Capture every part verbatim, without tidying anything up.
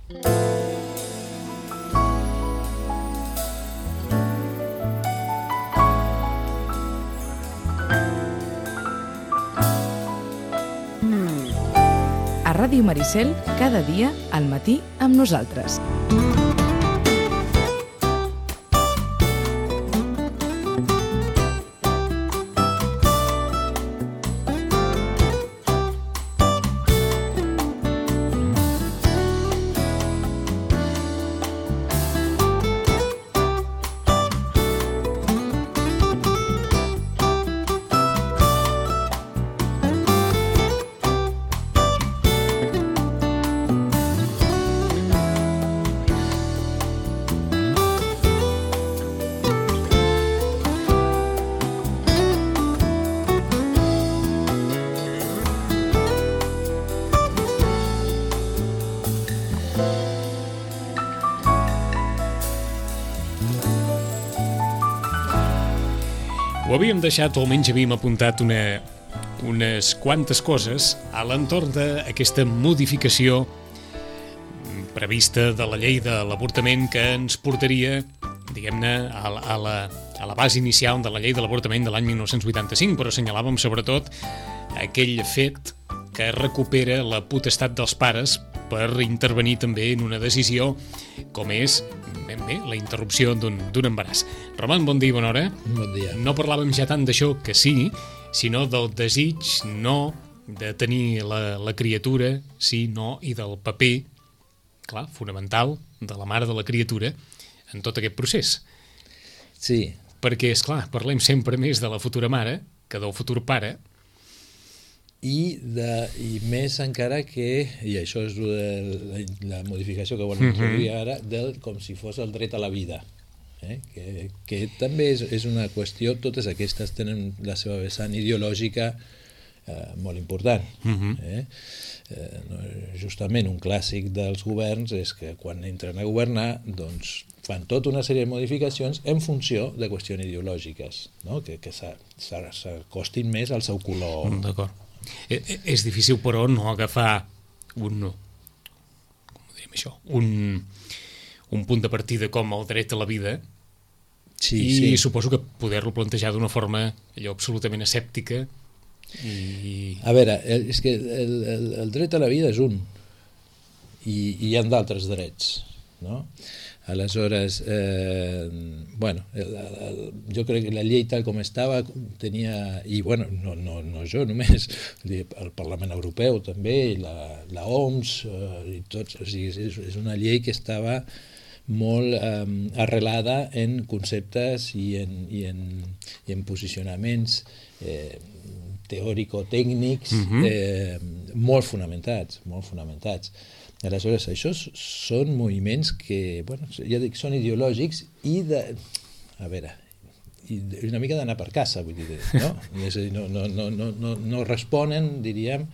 A Ràdio Maricel, cada dia al matí amb nosaltres. Ho havíem deixat, o almenys havíem apuntat una, unes quantes coses a l'entorn d'aquesta modificació prevista de la llei de l'avortament que ens portaria, diguem-ne, a, la, a, la, a la base inicial de la llei de l'avortament de l'any dinou vuitanta-cinc, però assenyalàvem sobretot aquell fet que recupera la potestat dels pares per intervenir també en una decisió com és ben bé la interrupció d'un embaràs. Roman, bon dia i bona hora. Bon dia. No parlàvem ja tant d'això que sí, sinó del desig no de tenir la, la criatura, sí, no, i del paper, clar, fonamental, de la mare de la criatura en tot aquest procés. Sí. Perquè, és clar, parlem sempre més de la futura mare que del futur pare. I, de, i més encara que, i això és la, la modificació que volem introduir uh-huh. ara, del, com si fos el dret a la vida, eh? que, que també és, és una qüestió, totes aquestes tenen la seva vessant ideològica eh, molt important. Uh-huh. eh? Eh, no, justament un clàssic dels governs és que quan entren a governar doncs fan tota una sèrie de modificacions en funció de qüestions ideològiques, no? que, que s'acostin més al seu color. D'acord. És difícil, però, no agafar un, com ho diríem això, un, un punt de partida com el dret a la vida sí, i sí. suposo que poder-lo plantejar d'una forma allò absolutament escèptica. I... A veure, és que el, el, el dret a la vida és un i, i hi ha d'altres drets, no? Aleshores, eh, bueno, el, el, jo crec que la llei tal com estava tenia, i bueno, no, no, no jo només, el Parlament Europeu també, i la, la O M S, eh, i tots, o sigui, és, és una llei que estava molt eh, arrelada en conceptes i en, i en, i en posicionaments eh, teòrico-tècnics uh-huh. eh, molt fonamentats, molt fonamentats. Aleshores, això són moviments que, bueno, ja dic, són ideològics i de... A veure, i una mica d'anar per casa, vull dir, no? És a dir, no, no, no, no, no responen, diríem,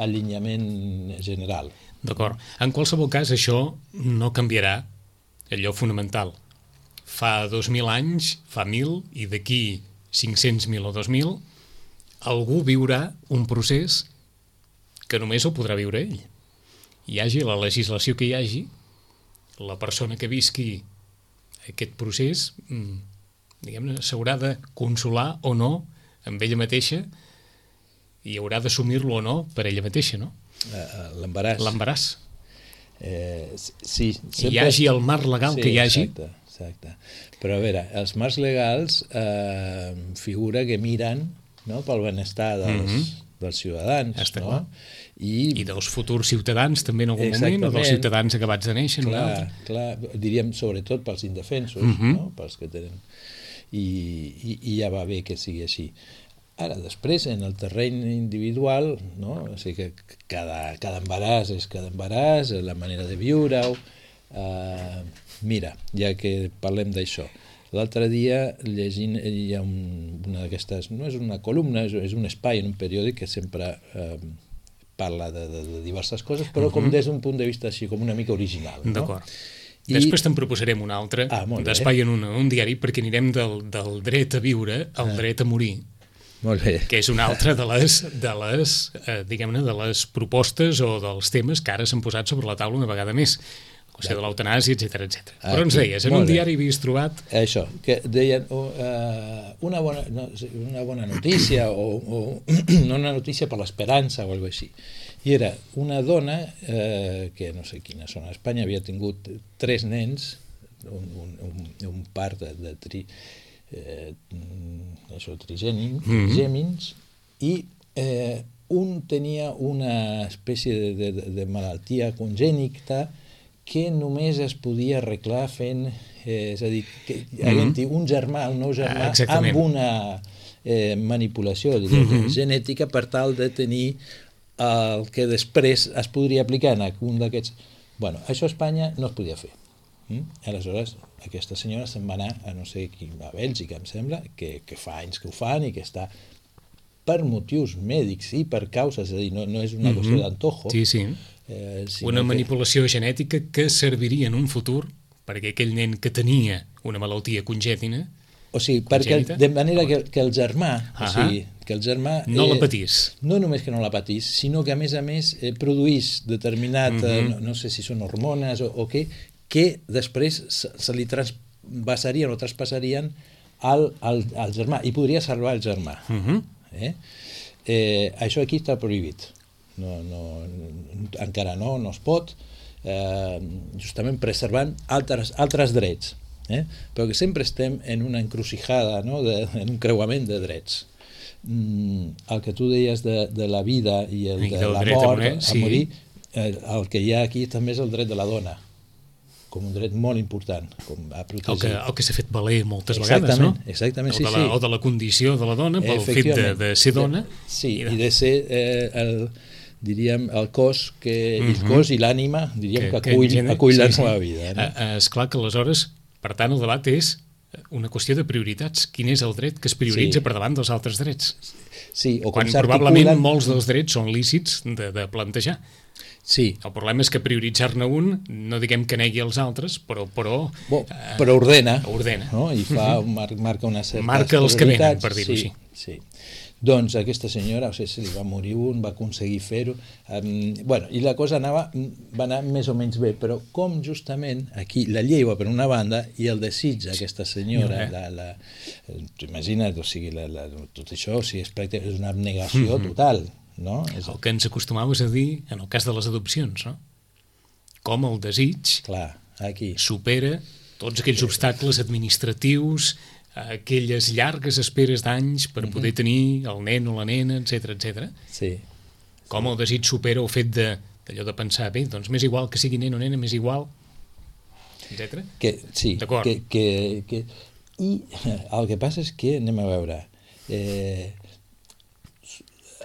al lineament general. D'acord. En qualsevol cas, això no canviarà allò fonamental. Fa dos mil anys, fa mil, i d'aquí cinc-cents mil o dos mil, algú viurà un procés que només ho podrà viure ell. Hi hagi la legislació que hi hagi, la persona que visqui aquest procés, diguem-ne, s'haurà de consolar o no amb ella mateixa i haurà d'assumir-lo o no per ella mateixa, no? L'embaràs. L'embaràs. Eh, sí. Sempre... Hi hagi el marc legal sí, que hi hagi. Exacte, exacte. Però a veure, els marcs legals eh, figura que miren, no?, pel benestar dels, mm-hmm. dels ciutadans. Està no? clar. I, I dels futurs ciutadans també en algun Exactament. moment, o dels ciutadans acabats de néixer en un altre. Clar, diríem sobretot pels indefensos, uh-huh. no? Pels que tenen... I, i, I ja va bé que sigui així. Ara, després, en el terreny individual, no? O sigui que cada, cada embaràs és cada embaràs, la manera de viure-ho... Uh, mira, ja que parlem d'això, l'altre dia llegint hi ha un, una d'aquestes, no és una columna, és, és un espai en un periòdic que sempre... Uh, parla de, de, de diverses coses, però uh-huh. com des d'un punt de vista així, com una mica original. No? D'acord. I... Després te'n proposarem un altre ah, d'espai en un, un diari, perquè anirem del, del dret a viure al ah. dret a morir. Molt bé. Que és una altra de les, de les eh, diguem-ne, de les propostes o dels temes que ara s'han posat sobre la taula una vegada més. o sigui, de l'eutanàsia, etcètera, etcètera. Aquí, Però ens deies, en un molt bé. diari havies trobat... Això, que deien uh, una, bona, no, una bona notícia o, o no una notícia per l'esperança o alguna cosa així. I era una dona eh, que no sé quina zona d'Espanya havia tingut tres nens, un, un, un, un part de, de tri, eh, això, trigèmins, Mhm. trigèmins, i eh, un tenia una espècie de, de, de malaltia congènita que només es podia arreglar fent, eh, és a dir, que havent-hi un germà, un nou germà, Ah, exactament. amb una eh, manipulació diguem, Mhm. genètica per tal de tenir el que després es podria aplicar en un d'aquests... Bueno, això a Espanya no es podia fer. Mm? Aleshores, aquesta senyora se'n va anar a no sé qui, a Bèlgica, em sembla, que, que fa anys que ho fan i que està per motius mèdics i per causes, és a dir, no, no és una qüestió Mhm. d'antojo. Sí, sí. Eh, sinó Una que- manipulació genètica que serviria en un futur perquè aquell nen que tenia una malaltia congènita O sigui, perquè, congènita. de manera que, que el germà, o Ahà. sigui, que el germà... no la eh, patís. No només que no la patís, sinó que a més a més eh, produís determinat, Mhm. eh, no, no sé si són hormones o, o què, que després se, se li transvasarien o traspassarien al, al, al germà i podria salvar el germà. Mhm. Eh? Eh, això aquí està prohibit. No, no, encara no, no es pot, eh, justament preservant altres, altres drets. Eh? Però que sempre estem en una encrucijada, no? de, en un creuament de drets. Mm, el que tu deies de, de la vida i el I de del la dret a mort, morir, a sí. morir, eh, el que hi ha aquí també és el dret de la dona, com un dret molt important, com a El que, protegir. el que s'ha fet valer moltes Exactament, vegades, no? exactament, o sí, de la, sí. O de la condició de la dona pel fet de, Efectivament. de ser dona. Sí, i de- i de ser eh, el, diríem, el cos, que, Mhm. el cos i l'ànima, diríem, que, que acull, engene- acull la sí, sí. nova vida. No? Eh, eh, és clar que aleshores, per tant, el debat és una qüestió de prioritats. Quin és el dret que es prioritza Sí. per davant dels altres drets? Sí, o com Quan probablement s'articulen... molts dels drets són lícits de, de plantejar. Sí, El problema és que prioritzar-ne un, no diguem que negui els altres, però, però bo, eh, però ordena, ordena. no? I fa, mar, marca una certa Marca els que venen, per dir-ho sí, així. Sí. Doncs aquesta senyora, o sigui, se li va morir un, va aconseguir fer-ho, um, bueno, i la cosa anava, va anar més o menys bé, però com justament aquí la llei va per una banda i el desig d'aquesta senyora, Sí. la, la, t'imagines, o sigui, la, la, tot això, o sigui, és, pràcticament, és una abnegació Mhm. total, no? És, El que ens acostumaves a dir en el cas de les adopcions, no? Com el desig clar, aquí. supera tots aquells obstacles administratius, aquelles llargues esperes d'anys per Mhm. poder tenir el nen o la nena, etcètera, etcètera. Sí, Com el desig supera el fet de d'allò de pensar, bé, doncs m'és igual que sigui nen o nena, m'és igual, etcètera. que, sí, D'acord. que, que, que, i el que passa és que, anem a veure, eh,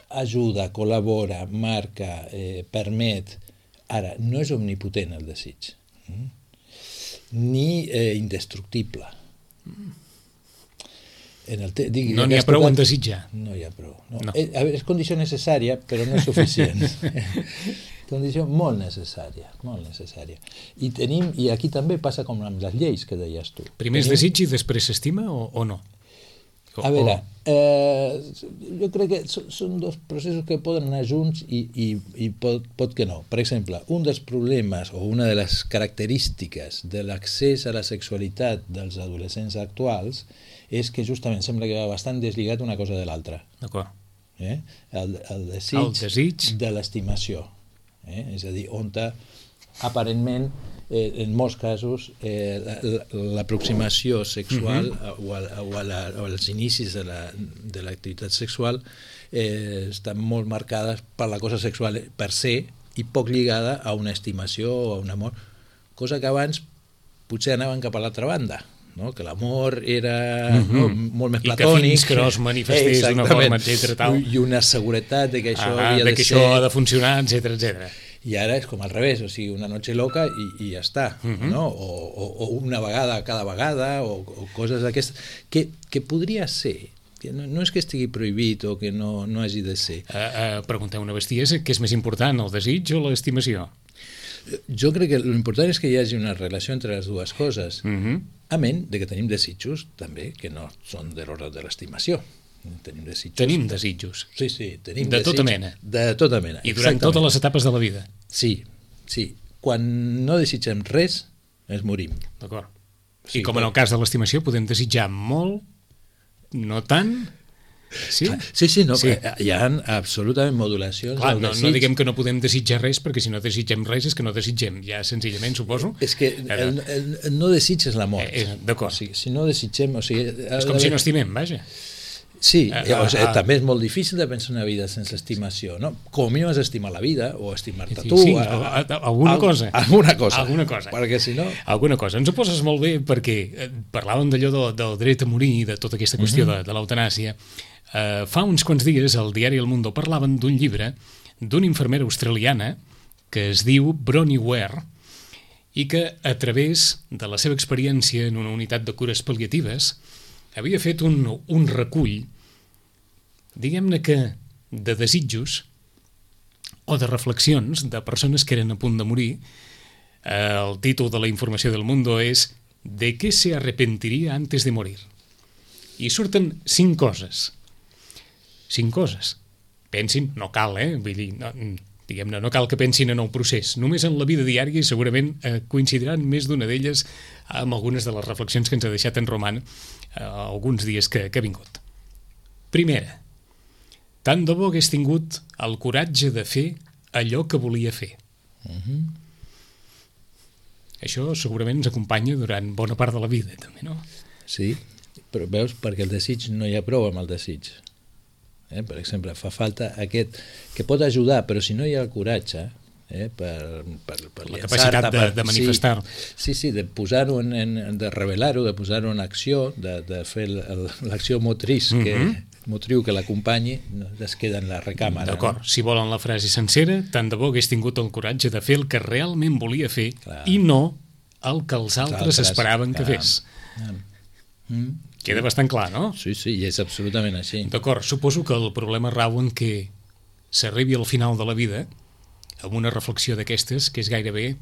ajuda, col·labora, marca, eh, permet, ara, no és omnipotent el desig, mm? ni eh, indestructible. En el te, digui, No n'hi ha has prou tocat- en desitjar. No hi ha prou. No. No. Eh, a veure, és condició necessària, però no és suficient. Condició molt necessària, molt necessària. I tenim, i aquí també passa com amb les lleis que deies tu. Primer es Tenim- desig i després s'estima o, o no? O, A veure, eh, jo crec que so- són dos processos que poden anar junts i, i, i pot, pot que no. Per exemple, un dels problemes o una de les característiques de l'accés a la sexualitat dels adolescents actuals és que justament sembla que va bastant deslligat una cosa de l'altra. D'acord. Eh? El, el, desig El desig. de l'estimació. Eh? És a dir, on aparentment, eh, en molts casos, eh, l'aproximació sexual uh-huh. o, a, o, a la, o als inicis de la, de l'activitat sexual eh, estan molt marcades per la cosa sexual per se i poc lligada a una estimació o a un amor, cosa que abans potser anaven cap a l'altra banda, no? Que l'amor era uh-huh. no, molt més I que platònic. fins que no es manifestés d'una forma, etcètera, tal. I una seguretat de que això Ah, havia de de que ser... això ha de funcionar, etcètera, etcètera. I ara és com al revés, o sigui, una noche loca i, i ja està, Mhm. no? O, o, o una vegada cada vegada, o, o coses d'aquestes, que, que podria ser, que no, no és que estigui prohibit o que no, no hagi de ser. Uh, uh, pregunteu una bestiesa, què és més important, el desig o l'estimació? Jo crec que l'important és que hi hagi una relació entre les dues coses, Uh -huh. a ment de que tenim desitjos també que no són de l'ordre de l'estimació. Tenim desitjos. Tenim desitjos. Sí, sí, tenim De tota desig- mena. De tota mena. I durant exactament. totes les etapes de la vida. Sí, sí. quan no desitgem res, ens morim. D'acord. Sí, I com en el cas de l'estimació, podem desitjar molt, no tant... Sí? Ah, sí, sí, no, sí. Hi ha absolutament modulacions. Clar, no, no diguem que no podem desitjar res, perquè si no desitgem res és que no desitgem, ja senzillament, suposo. És que el, el, el no desitges la mort. Eh, D'acord. O sigui, si no desitgem... O sigui, és com si no estimem, vaja. Sí, ah, o sigui, ah, també és molt difícil de pensar una vida sense estimació, no? Com a mínim has d'estimar la vida, o estimar-te sí, tu... Sí, a, a, a, alguna cosa. Alguna cosa. Alguna cosa. Perquè si no... Alguna cosa. Ens ho poses molt bé perquè eh, parlàvem d'allò del, del dret a morir, de tota aquesta qüestió uh -huh. de, de l'eutanàsia. Uh, fa uns quants dies al diari El Mundo parlaven d'un llibre d'una infermera australiana que es diu Bronnie Ware i que a través de la seva experiència en una unitat de cures pal·liatives havia fet un, un recull, diguem-ne que de desitjos o de reflexions de persones que eren a punt de morir. Uh, el títol de la informació del Mundo és ¿De qué se arrepentiría antes de morir? I surten cinc coses. Cinc coses. Pensin, no cal, eh? Vull dir, no, diguem-ne, no cal que pensin en el procés. Només en la vida diària i segurament eh, coincidiran més d'una d'elles amb algunes de les reflexions que ens ha deixat en Roman eh, alguns dies que, que ha vingut. Primera, tant de bo hagués tingut el coratge de fer allò que volia fer. Uh-huh. Això segurament ens acompanya durant bona part de la vida, també, no? Sí, però veus, perquè el desig no hi ha prou amb el desig. Eh? Per exemple, fa falta aquest, que pot ajudar, però si no hi ha el coratge, eh? per, per, per la capacitat de, de manifestar. Sí, sí, sí, de posar-ho en, en, de revelar-ho, de posar-ho en acció, de, de fer l'acció motriç que, mm -hmm. motriu que l'acompanyi, no es queda en la recàmera. D'acord, no? Si volen la frase sencera, tant de bo hagués tingut el coratge de fer el que realment volia fer, clar, i no el que els altres, altres esperaven clar, que fes. Ah. Mm. Queda bastant clar, no? Sí, sí, i és absolutament així. D'acord, suposo que el problema rau en què s'arribi al final de la vida amb una reflexió d'aquestes que és gairebé,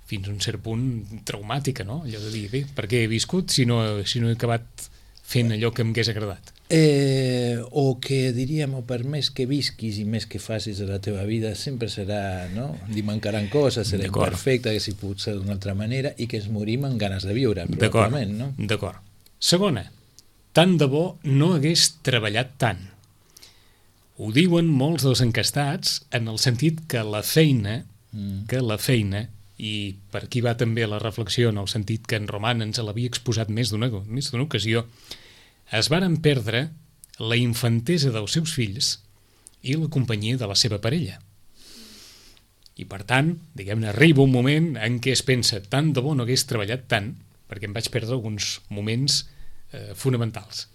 fins a un cert punt, traumàtica, no? Allò de dir, bé, per què he viscut si no, si no he acabat fent allò que m'hagués agradat? Eh, o que diríem, o per més que visquis i més que facis de la teva vida, sempre serà, no? Li mancaran coses, serà imperfecte, que si pot ser d'una altra manera, i que ens morim amb ganes de viure, probablement, no? D'acord. Segona, tant de bo no hagués treballat tant. Ho diuen molts dels encastats en el sentit que la feina, mm. que la feina, i per aquí va també la reflexió en el sentit que en Roman ens l'havia exposat més d'una més d'una ocasió, es varen perdre la infantesa dels seus fills i la companyia de la seva parella. I per tant, diguem-ne, arriba un moment en què es pensa tant de bo no hagués treballat tant perquè em vaig perdre alguns moments eh, fonamentals.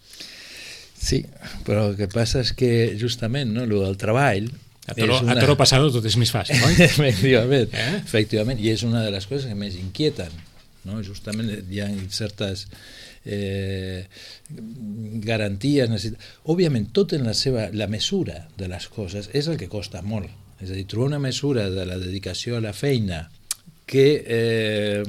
Sí, però el que passa és que justament, no, el del treball... A toro, una... a toro passado tot és més fàcil, oi? efectivament, eh? efectivament, i és una de les coses que més inquieten, no? Justament hi ha certes eh, garanties, necessitat... Òbviament, tot en la seva... la mesura de les coses és el que costa molt. És a dir, trobar una mesura de la dedicació a la feina que eh,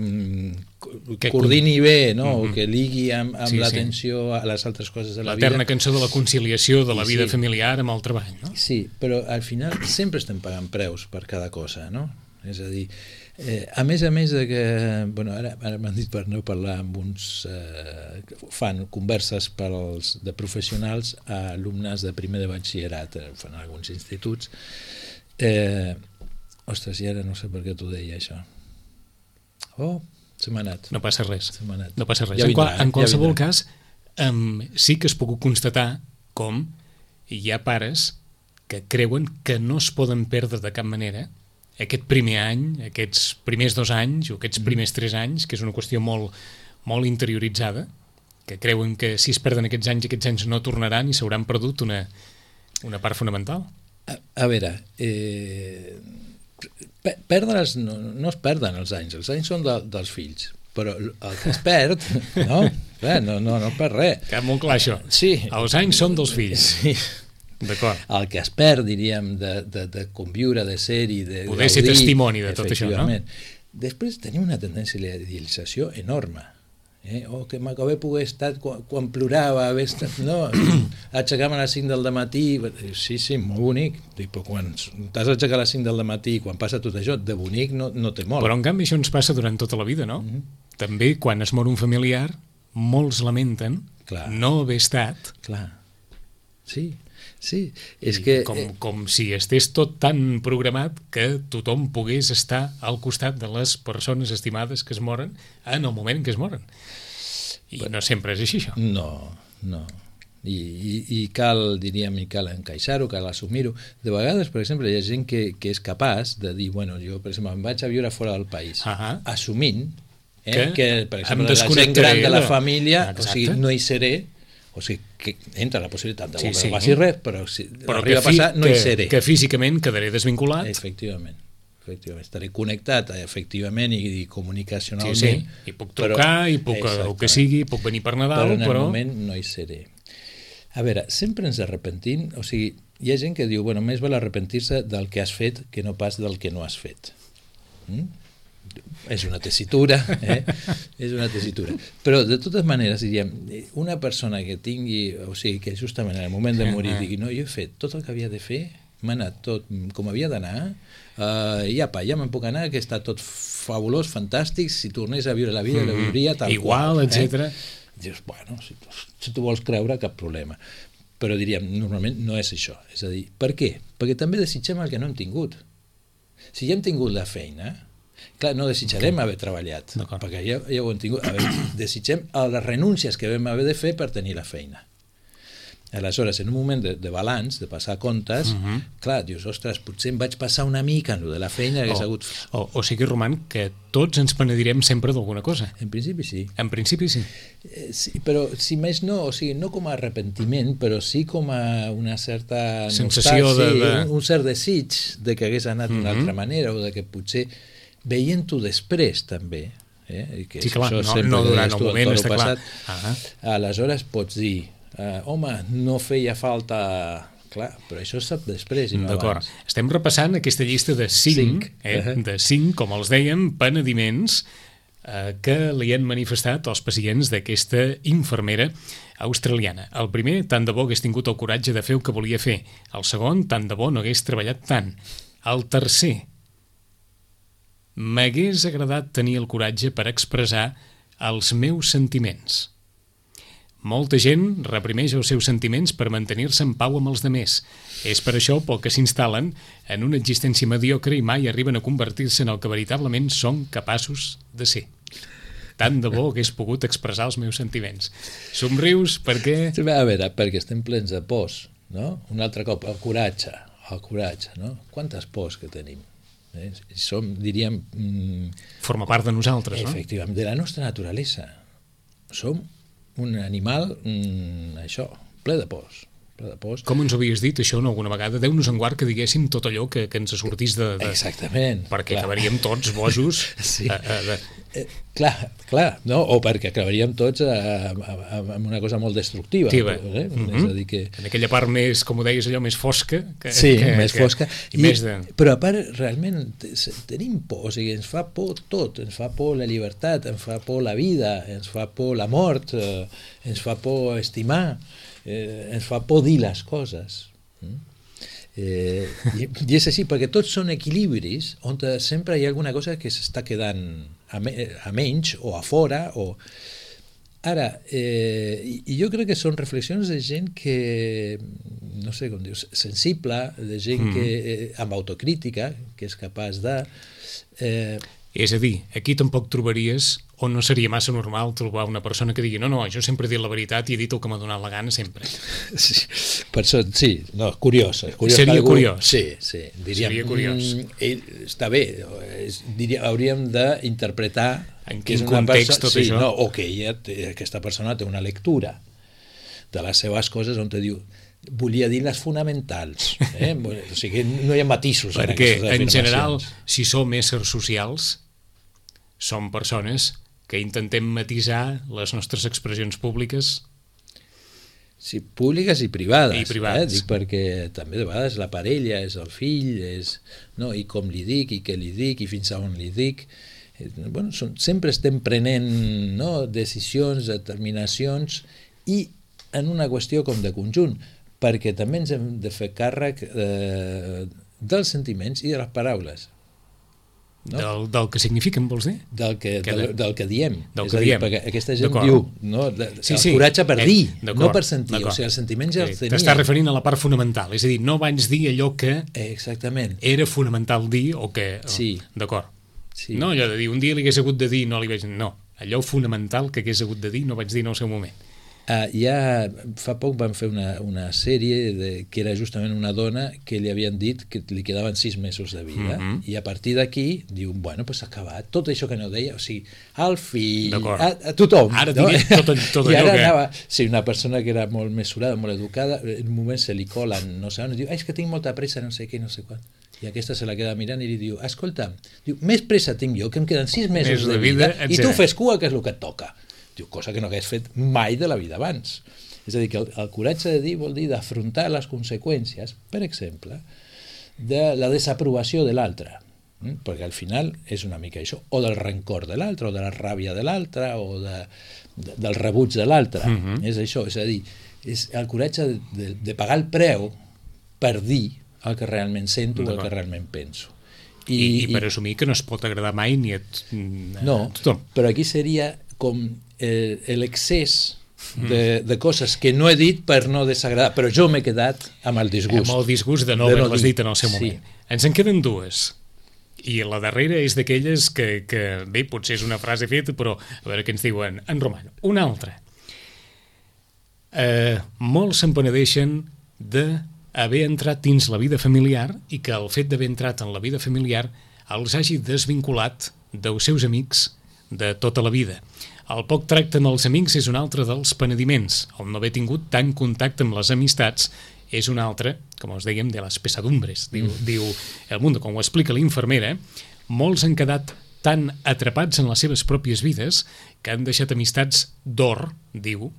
que coordini bé, no? Mm-hmm. O que ligui amb, amb sí, l'atenció sí. a les altres coses de la, la vida. L'eterna cançó de la conciliació de la vida sí. familiar amb el treball, no? Sí, però al final sempre estem pagant preus per cada cosa, no? És a dir, eh, a més a més de que, bueno, ara, ara m'han dit per no parlar amb uns eh, fan converses pels, de professionals a alumnes de primer de batxillerat, eh, fan alguns instituts. Eh, ostres, i ara no sé per què t'ho deia, això. Oh, se m'ha anat. No passa res. Se m'ha anat. No passa res. Ja vindrà, en, qual, en qualsevol ja cas, um, sí que es pogut constatar com hi ha pares que creuen que no es poden perdre de cap manera aquest primer any, aquests primers dos anys o aquests primers tres anys, que és una qüestió molt, molt interioritzada, que creuen que si es perden aquests anys, aquests anys no tornaran i s'hauran perdut una, una part fonamental. A, a veure, eh... perdre'ls, no, no es perden els anys, els anys són de, dels fills, però el que es perd, no, Bé, no, no, no per res. Que molt clar això. Sí. Els anys són dels fills. Sí. D'acord. El que es perd, diríem, de, de, de conviure, de ser-hi, de poder ser testimoni de tot això, no? Després tenim una tendència a la idealització enorme. Eh? O que m'acabé poder estar quan, quan plorava, haver estat, no, aixecar-me a les cinc del matí, sí, sí, molt bonic, dic, però quan t'has d'aixecar a les cinc del matí, quan passa tot això, de bonic no, no té molt. Però en canvi això ens passa durant tota la vida, no? Mm-hmm. També quan es mor un familiar, molts lamenten Clar. no haver estat. Clar, sí. Sí, és que... Com, com si estés tot tan programat que tothom pogués estar al costat de les persones estimades que es moren en el moment en què es moren. I però, no sempre és així, això. No, no. I, i, i cal, diríem, i cal encaixar-ho, cal assumir-ho. De vegades, per exemple, hi ha gent que, que és capaç de dir, bueno, jo, per exemple, em vaig a viure fora del país, uh-huh. assumint eh, que, que, per exemple, la gent gran de la família, Exacte. o sigui, no hi seré, o sigui, que entra la possibilitat de sí, que no passi sí. res, però si però arriba fi, a passar, no que, hi seré. Que físicament quedaré desvinculat. Efectivament. efectivament. Estaré connectat, efectivament, i, i comunicacionalment. Sí, sí. I puc trucar, però, i puc, el que sigui, puc venir per Nadal, però... en el però... moment no hi seré. A veure, sempre ens arrepentim, o sigui, hi ha gent que diu, bueno, més val arrepentir-se del que has fet que no pas del que no has fet. Mm? És una tessitura, eh? és una tessitura. Però, de totes maneres, diríem, una persona que tingui, o sigui, que justament en el moment de morir digui, no, jo he fet tot el que havia de fer, m'ha anat tot com havia d'anar, uh, i apa, ja me'n puc anar, que està tot fabulós, fantàstic, si tornés a viure la vida, mm-hmm. la viuria tal Igual, qual. etcètera. Eh? Dius, bueno, si tu, si tu vols creure, cap problema. Però diríem, normalment no és això. És a dir, per què? Perquè també desitgem el que no hem tingut. Si ja hem tingut la feina, clar, no desitjarem haver treballat, perquè ja, ja ho hem tingut. A veure, desitgem les renúncies que vam haver de fer per tenir la feina. Aleshores, en un moment de, de balanç, de passar comptes, uh-huh. clar, dius, ostres, potser em vaig passar una mica en lo de la feina que o, hagués hagut... O, o sigui, Roman, que tots ens penedirem sempre d'alguna cosa. En principi sí. En principi sí. Eh, sí. Però, si més no, o sigui, no com a arrepentiment, però sí com a una certa... sensació de... Sí, de... Un, un cert desig de que hagués anat d'una uh-huh. altra manera, o de que potser veient-ho després, també, eh? I que sí, clar, no, no durant el moment, està passat, clar. Uh-huh. Aleshores pots dir, Uh, home, no feia falta... Clar, però això sap després i no D'acord. abans. Estem repassant aquesta llista de cinc, cinc. Eh, uh-huh. de cinc, com els dèiem, penediments eh, que li han manifestat els pacients d'aquesta infermera australiana. El primer, tant de bo hagués tingut el coratge de fer el que volia fer. El segon, tant de bo no hagués treballat tant. El tercer, m'hagués agradat tenir el coratge per expressar els meus sentiments. Molta gent reprimeix els seus sentiments per mantenir-se en pau amb els demés. És per això pel que s'instal·len en una existència mediocre i mai arriben a convertir-se en el que veritablement són capaços de ser. Tant de bo hagués pogut expressar els meus sentiments. Somrius perquè... A veure, perquè estem plens de pors, no? Un altre cop, el coratge, el coratge, no? Quantes pors que tenim? Eh? Som, diríem... Mm, forma part de nosaltres, no? Efectivament, de la nostra naturalesa. Som un animal, mm, això, ple de pors. Ple de pors. Com ens ho havies dit, això, no, alguna vegada? Déu-nos en guard que diguéssim tot allò que, que ens sortís de... de... Exactament. Perquè clar. acabaríem tots bojos. Sí. A, a, de... eh, clar, clar, no? O perquè acabaríem tots amb una cosa molt destructiva. Sí, eh? Mm-hmm. És a dir que... En aquella part més, com ho deies, allò més fosca. Que, sí, que, més que, fosca. I, I més de... Però a part, realment, tenim por, o sigui, ens fa por tot, ens fa por la llibertat, ens fa por la vida, ens fa por la mort, eh, ens fa por estimar, eh, ens fa por dir les coses. Mm? Eh, i, I és així, perquè tots són equilibris on sempre hi ha alguna cosa que s'està quedant a, me, a menys o a fora, o... Ara, eh, i jo crec que són reflexions de gent que, no sé com dius, sensible, de gent mm. que, eh, amb autocrítica, que és capaç de... Eh, és a dir, aquí tampoc trobaries, o no seria massa normal trobar una persona que digui no, no, jo sempre he dit la veritat i he dit el que m'ha donat la gana sempre. Sí, per això, sí, no, curiós. curiós seria algú, curiós. Sí, sí, diríem, seria curiós. Mm, està bé, és, diríem, hauríem d'interpretar en quin context perso- tot sí, això. No, o que ella, aquesta persona té una lectura de les seves coses on te diu volia dir les fonamentals, eh? O sigui, no hi ha matisos en aquestes afirmacions. Perquè, en general, si som éssers socials, som persones que intentem matisar les nostres expressions públiques. Sí, públiques i privades. I privades. Eh? Dic perquè també de vegades la parella és el fill, és, no? I com li dic, i què li dic, i fins a on li dic. bueno, són, sempre estem prenent, no, decisions, determinacions, i en una qüestió com de conjunt, perquè també ens hem de fer càrrec eh, dels sentiments i de les paraules. No? Del, del que signifiquen, vols dir? Del que, que del, del que diem. Del és que a dir, diem. perquè aquesta gent diu, no, de, sí, el sí. coratge per eh, dir, no per sentir. O sigui, els sentiments ja sí, els tenia. T'estàs referint a la part fonamental, és a dir, no vaig dir allò que Exactament. era fonamental dir o que... Sí. D'acord. Sí. No, allò de dir, un dia li hagués hagut de dir, no li vaig... No, allò fonamental que hagués hagut de dir no vaig dir en el seu moment. Uh, ja fa poc van fer una, una sèrie de, que era justament una dona que li havien dit que li quedaven sis mesos de vida, mm-hmm. i a partir d'aquí diu, bueno, pues s'ha acabat tot això que no deia, o sigui, al fill, a, a tothom. Ara no? diré tot, tot I allò ara que... anava, sí, una persona que era molt mesurada, molt educada, en un moment se li colen, no sé on, diu, ah, és que tinc molta pressa, no sé què, no sé quan. I aquesta se la queda mirant i li diu, escolta, diu, més pressa tinc jo, que em queden sis mesos de, de vida, vida i tu fes cua, que és el que et toca. Diu, cosa que no hagués fet mai de la vida abans. És a dir, que el, el coratge de dir vol dir d'afrontar les conseqüències, per exemple, de la desaprovació de l'altre, mm? perquè al final és una mica això, o del rancor de l'altre, o de la ràbia de l'altre, o de, de, del rebuig de l'altre. Mm-hmm. És això, és a dir, és el coratge de, de, de pagar el preu per dir el que realment sento o el que realment penso. I, I, i per i, assumir que no es pot agradar mai ni a, a no, tothom. Però aquí seria com l'excés de, de coses que no he dit per no desagradar, però jo m'he quedat amb el disgust. Amb el disgust de no haver-les dit en el seu moment. Sí. Ens en queden dues. I la darrera és d'aquelles que, que, bé, potser és una frase feta, però a veure què ens diuen en romano. Una altra. Eh, molts se'n penedeixen d'haver entrat dins la vida familiar i que el fet d'haver entrat en la vida familiar els hagi desvinculat dels seus amics de tota la vida. El poc tracte amb els amics és un altre dels penediments. El no haver tingut tant contacte amb les amistats és un altre, com us dèiem, de les pesadumbres. Diu, mm. diu el Mundo, com ho explica l'infermera, molts han quedat tan atrapats en les seves pròpies vides que han deixat amistats d'or, diu,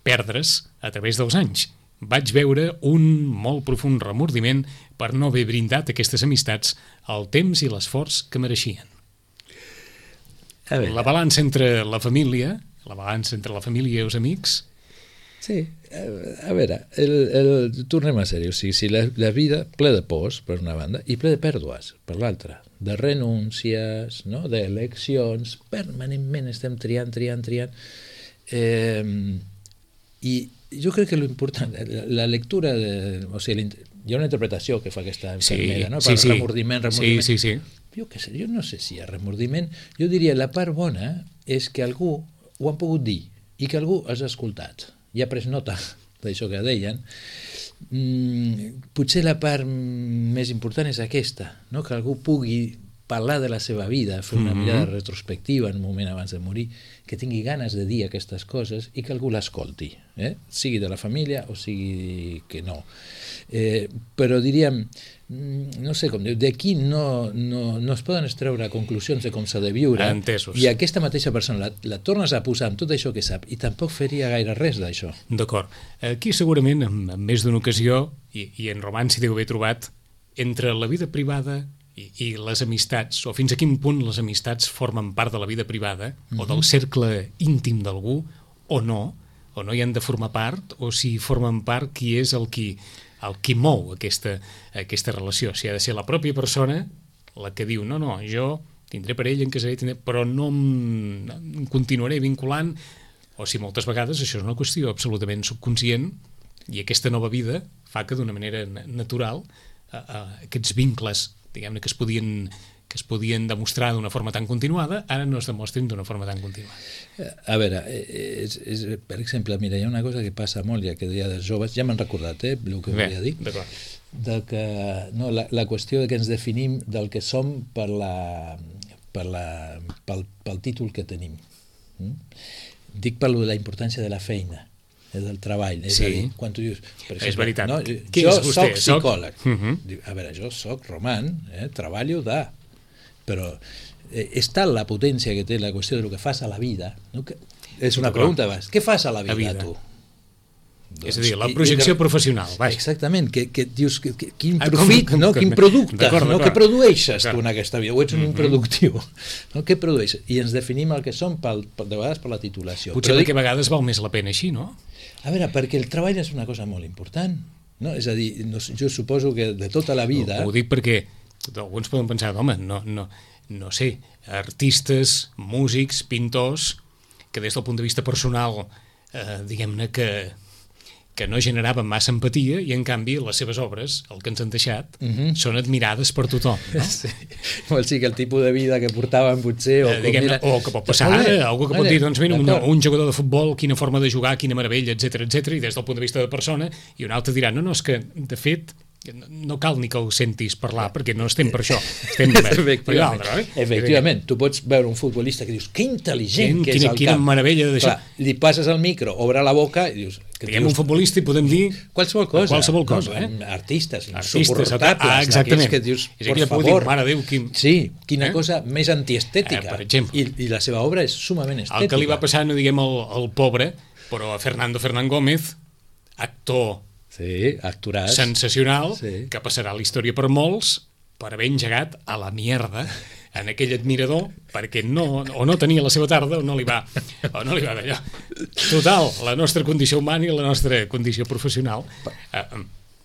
perdre's a través dels anys. Vaig veure un molt profund remordiment per no haver brindat aquestes amistats el temps i l'esforç que mereixien. La balança entre la família, la balança entre la família i els amics... Sí, a veure, el, el, tornem a ser-hi, o sigui, si la, la vida ple de pors, per una banda, i ple de pèrdues, per l'altra, de renúncies, no? D'eleccions, permanentment estem triant, triant, triant, eh, i jo crec que l'important, la, la lectura, de, o sigui, hi ha una interpretació que fa aquesta infermera, sí, no? Per sí, remordiment, remordiment. Sí, sí, sí. Jo què sé, jo no sé si hi ha remordiment. Jo diria la part bona és que algú ho han pogut dir i que algú els ha escoltat i ha pres nota d'això que deien. Mm, potser la part més important és aquesta, no? Que algú pugui parlar de la seva vida, fer una mm-hmm. mirada retrospectiva en un moment abans de morir, que tingui ganes de dir aquestes coses i que algú l'escolti, eh? Sigui de la família o sigui que no. Eh, però diríem, no sé com diu, d'aquí no, no, no es poden extreure conclusions de com s'ha de viure. Entesos. I aquesta mateixa persona la, la tornes a posar amb tot això que sap i tampoc faria gaire res d'això. D'acord. Aquí segurament, en, en més d'una ocasió, i, i en Roman s'hi deu haver trobat, entre la vida privada i, i les amistats, o fins a quin punt les amistats formen part de la vida privada, mm-hmm. o del cercle íntim d'algú, o no, o no hi han de formar part, o si formen part, qui és el qui... el qui mou aquesta, aquesta relació. Si ha de ser la pròpia persona la que diu, no, no, jo tindré parella, em casaré, tindré... però no em, em continuaré vinculant, o si moltes vegades això és una qüestió absolutament subconscient i aquesta nova vida fa que d'una manera natural a, a, aquests vincles, diguem-ne, que es podien que es podien demostrar d'una forma tan continuada, ara no es demostren d'una forma tan continuada. A veure, és, és, per exemple, mira, hi ha una cosa que passa molt, ja que deia dels joves, ja m'han recordat, eh, el que Bé, volia dir, d'acord. Del que, no, la, la qüestió de que ens definim del que som per la, per la, pel, pel títol que tenim. Mm? Dic per la importància de la feina, del treball, és sí. a dir, quan tu dius, per exemple, és veritat. No, Qui jo és vostè? soc psicòleg, soc... Uh-huh. a veure, jo soc Roman, eh, treballo de... però eh, és tal la potència que té la qüestió de lo que fas a la vida, no? Que és una pregunta abans, què fas a la vida, la vida. tu? Doncs, és a dir, la projecció i, professional. Vaja. Exactament, que, que dius que, que, quin Ah, profit, com, com, no? com, Quin producte, no? Què produeixes tu en aquesta vida? O ets un Mm-hmm. improductiu? No? Què produeixes? I ens definim el que som pel, de vegades per la titulació. Potser Però dic... que a vegades val més la pena així, no? A veure, perquè el treball és una cosa molt important. No? És a dir, no, jo suposo que de tota la vida... Ho, ho dic perquè alguns poden pensar, home, no, no, no sé, artistes, músics, pintors, que des del punt de vista personal, eh, diguem-ne que que no generaven massa empatia i en canvi les seves obres, el que ens han deixat, uh-huh. són admirades per tothom, no? Sí. Vol dir que el tipus de vida que portaven potser... O, eh, diguem, era... o que pot passar ara, algú que pot dir, doncs mira, un, un jugador de futbol, quina forma de jugar, quina meravella, etc etc i des del punt de vista de persona, i un altre dirà, no, no, és que, de fet, no cal ni que ho sentis parlar, perquè no estem per això, estem per, per l'altre, eh? Efectivament, tu pots veure un futbolista que dius, que intel·ligent que és quina, al quina camp. meravella d'això. Clar, li passes el micro, obre la boca i dius... Diguem un futbolista i podem dir qualsevol cosa, qualsevol cosa no, eh? artistes insuportables, ah, exactament, que dius, és aquella por dir, mare Déu, quin... sí, quina eh? cosa més antiestètica, eh, per exemple, I, i la seva obra és sumament estètica. El que li va passar, no diguem el, el pobre, però a Fernando Fernán Gómez, actor sí, actoràs. sensacional, sí. que passarà a la història per molts, per haver engegat a la mierda en aquell admirador, perquè no, o no tenia la seva tarda o no li va, o no li va d'allò. Total, la nostra condició humana i la nostra condició professional. Eh,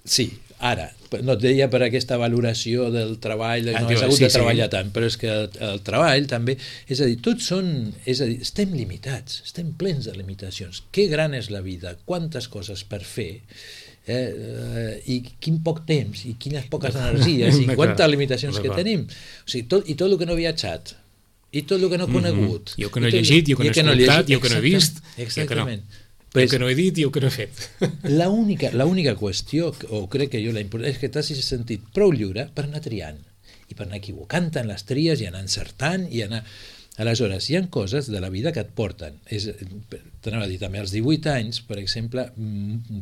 sí, ara, no et deia per aquesta valoració del treball, no ah, has hagut sí, de treballar sí. tant, però és que el, el treball també, és a dir, tots són, és a dir, estem limitats, estem plens de limitacions. Que gran és la vida, quantes coses per fer, Eh, eh, i quin poc temps i quines poques energies i quantes limitacions que tenim, o sigui, tot, i tot el que no he viatjat i tot el que no he conegut, mm-hmm. jo que no he llegit, jo que no he escoltat, jo que no he vist, exactament, jo que no he dit i jo que no he fet. L'única l'única qüestió, o crec que jo la important, és que t'has sentit prou lliure per anar triant i per anar equivocant-te en les tries i anar encertant i anar... Aleshores, hi ha coses de la vida que et porten. És, t'anava a dir, també als divuit anys, per exemple,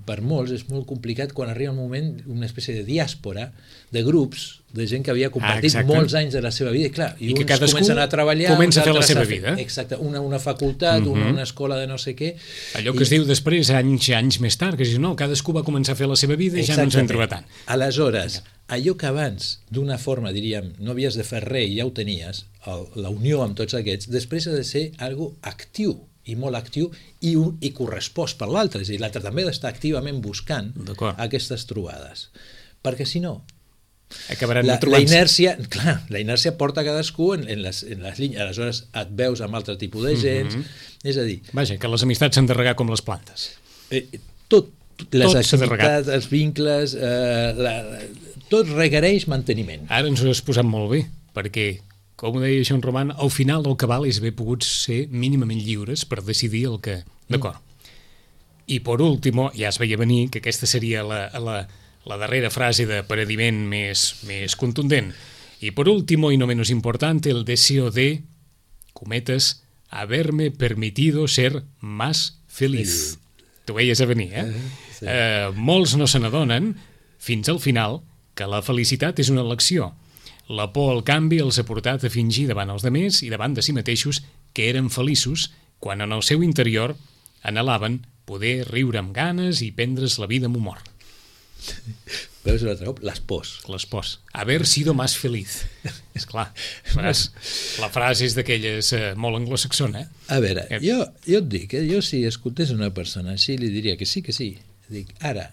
per molts és molt complicat quan arriba un moment, una espècie de diàspora de grups, de gent que havia compartit ah, molts anys de la seva vida, i clar, i, I uns comencen a treballar, comença a fer la seva a fer, vida. Exacte, una, una facultat, uh-huh. una, una escola de no sé què. Allò que i... es diu després, anys anys més tard, que dius, no, cadascú va començar a fer la seva vida i ja no ens en troba tant. Aleshores, allò que abans, d'una forma, diríem, no havies de fer res i ja ho tenies, el, la unió amb tots aquests, després ha de ser algo actiu, i molt actiu, i, un, i correspost per l'altre, és a dir, l'altre també ha d'estar activament buscant aquestes trobades, perquè si no, acabaran la, trobant-se. La inèrcia, clar, la inèrcia porta cadascú en, en, les, en les línies, aleshores et veus amb altre tipus de gent, mm-hmm. és a dir... Vaja, que les amistats s'han de regar com les plantes. Eh, tot, les tot activitats, els vincles, eh, la, tot requereix manteniment. Ara ens ho has posat molt bé, perquè, com ho deia Joan Roman, al final el que val és haver pogut ser mínimament lliures per decidir el que... D'acord. Mm. I per último, ja es veia venir que aquesta seria la, la, la darrera frase de paradiment més, més contundent. Y por último, y no menos importante, el deseo de, cometes, haberme permitido ser más feliz. T'ho veies a venir, eh? Sí. Eh, molts no se n'adonen, fins al final, que la felicitat és una elecció. La por al canvi els ha portat a fingir davant els demés i davant de si mateixos que eren feliços quan en el seu interior anhelaven poder riure amb ganes i prendre's la vida amb humor. Veus l'altre cop? Les pors. Les pors. Haver sido más feliz. Esclar, la frase és d'aquelles eh, molt anglosaxona. Eh? A veure, eh. jo, jo et dic, eh, jo si escoltés una persona així li diria que sí, que sí. Dic, ara,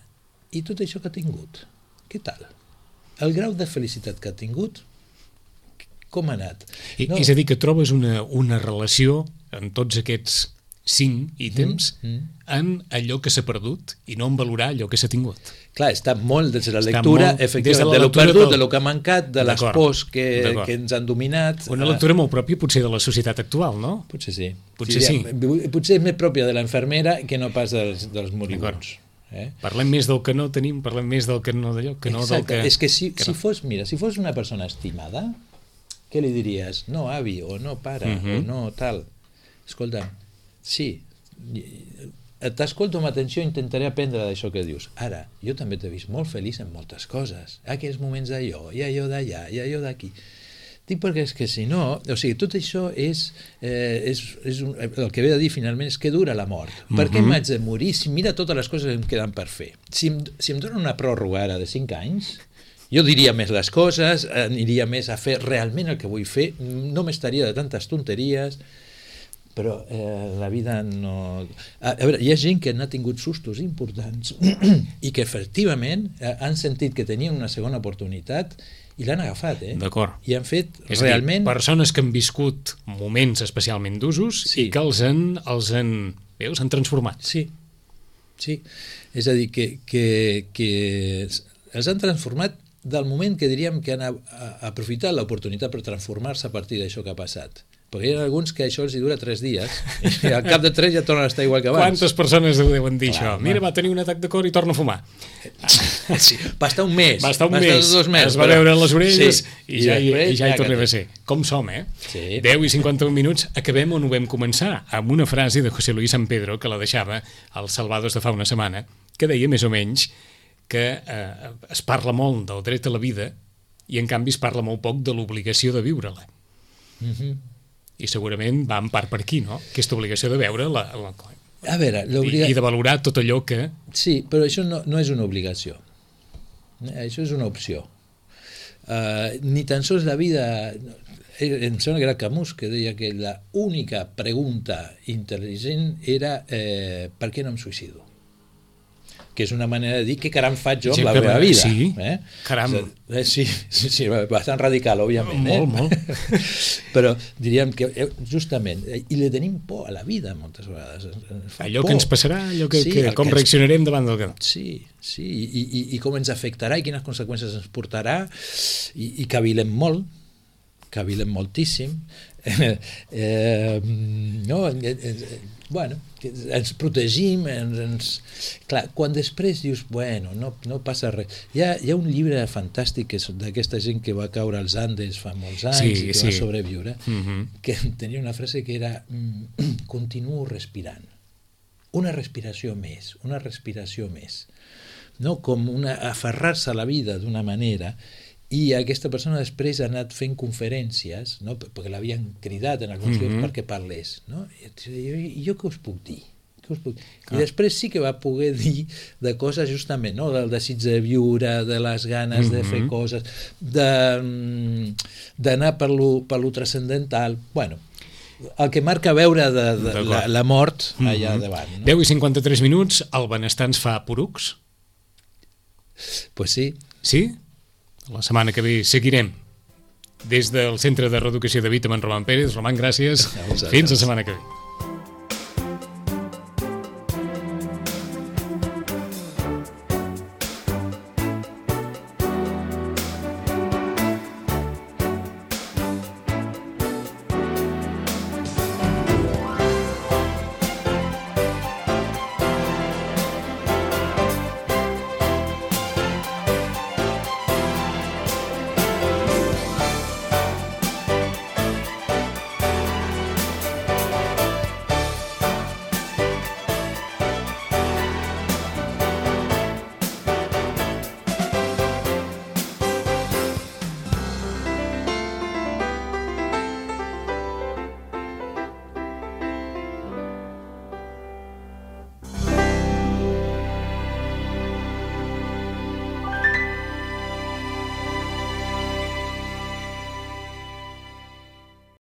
i tot això que ha tingut? Què tal? El grau de felicitat que ha tingut, com ha anat? I, no. És a dir, que trobes una, una relació en tots aquests cinc ítems mm, mm. en allò que s'ha perdut i no en valorar allò que s'ha tingut. Clar, està molt des de la lectura, molt, efectivament, de, de lo perdut, del... de lo que ha mancat, de les pors que, que ens han dominat. Una lectura molt pròpia potser de la societat actual, no? Potser sí. Potser sí. sí. Potser és més pròpia de l'infermera que no pas dels, dels moribunds. Eh? Parlem més del que no tenim, parlem més del que no d'allò, que no Exacte. del que... És que si, que si no. fos, mira, si fos una persona estimada, què li diries? No, avi, o no, pare, uh-huh. o no, tal. Escolta, sí, t'escolto amb atenció, intentaré aprendre d'això que dius. Ara, jo també t'he vist molt feliç en moltes coses. Aquells moments d'allò, i allò d'allà, i allò d'aquí. Dic perquè és que si no, o sigui, tot això és, eh, és, és un, el que ve a dir finalment és que dura la mort. Mm-hmm. Per què m'haig de morir si mira totes les coses que em queden per fer? Si em, si em donen una pròrroga ara de cinc anys, jo diria més les coses, aniria més a fer realment el que vull fer, no m'estaria de tantes tonteries, però eh, la vida no... A, a veure, hi ha gent que n'ha tingut sustos importants i que efectivament eh, han sentit que tenien una segona oportunitat i l'han agafat, eh? D'acord. I han fet és realment... dir, persones que han viscut moments especialment d'usos sí. i que els han, els han, veus, han transformat. Sí, sí. És a dir, que, que, que els han transformat del moment que diríem que han a, a, aprofitat l'oportunitat per transformar-se a partir d'això que ha passat. Perquè hi ha alguns que això els hi dura tres dies i al cap de tres ja tornen a estar igual que abans. Quantes persones ho deuen dir, Clar, això? Mira, va tenir un atac de cor i torna a fumar. Sí, va estar un mes. Va estar un va mes. Estar dos mesos, es va però... veure les orelles sí. i, ja, i, i ja hi ja tornem a ser. Com som, eh? Sí. deu i cinquanta-un minuts. Acabem on ho vam començar, amb una frase de José Luis San Pedro que la deixava als Salvados de fa una setmana, que deia més o menys que eh, es parla molt del dret a la vida i en canvi es parla molt poc de l'obligació de viure-la. Mhm. I segurament va en part per aquí, no? Aquesta obligació de veure la, la, a veure, i, i de valorar tot allò que... Sí, però això no, no és una obligació. Això és una opció. Uh, ni tan sols la vida... Em sembla que era Camus que deia que la única pregunta intel·ligent era eh, per què no em suïcido? Que és una manera de dir què caram faig jo amb la meva vida. Sí, eh? caram. Eh, sí, sí, sí, bastant radical, òbviament. Molt, eh? molt. Però diríem que justament, i li tenim por a la vida moltes vegades. Allò por. que ens passarà, allò que, Sí, que el com que ens- reaccionarem davant del que... Sí, sí, i, i, i com ens afectarà i quines conseqüències ens portarà, i, i cavilem molt, cavilem moltíssim, eh, eh, no, eh, eh, bueno, que ens protegim, ens, ens... Clar, quan després dius, bueno, no, no passa res. Hi ha, hi ha un llibre fantàstic que és d'aquesta gent que va caure als Andes fa molts anys Sí, i que sí. va sobreviure, Mhm. que tenia una frase que era mm, continuo respirant. Una respiració més, una respiració més. No? Com una, aferrar-se a la vida d'una manera, i aquesta persona després ha anat fent conferències, no? Perquè l'havien cridat en alguns llocs Mhm. perquè parlés, no? I jo, i jo què us puc dir? Què us puc dir? I després sí que va poder dir de coses justament, no? Del desig de viure, de les ganes de fer Mhm. coses, de, mm, d'anar per lo, per lo transcendental. Bueno, el que marca veure de, de D'acord. la, la mort allà Mhm. davant. No? deu i cinquanta-tres minuts, el benestar ens fa porucs? Pues sí. Sí? La setmana que ve seguirem des del Centre de Reeducació de Vitamin Roman Pérez. Roman, gràcies. A vosaltres. Fins la setmana que ve.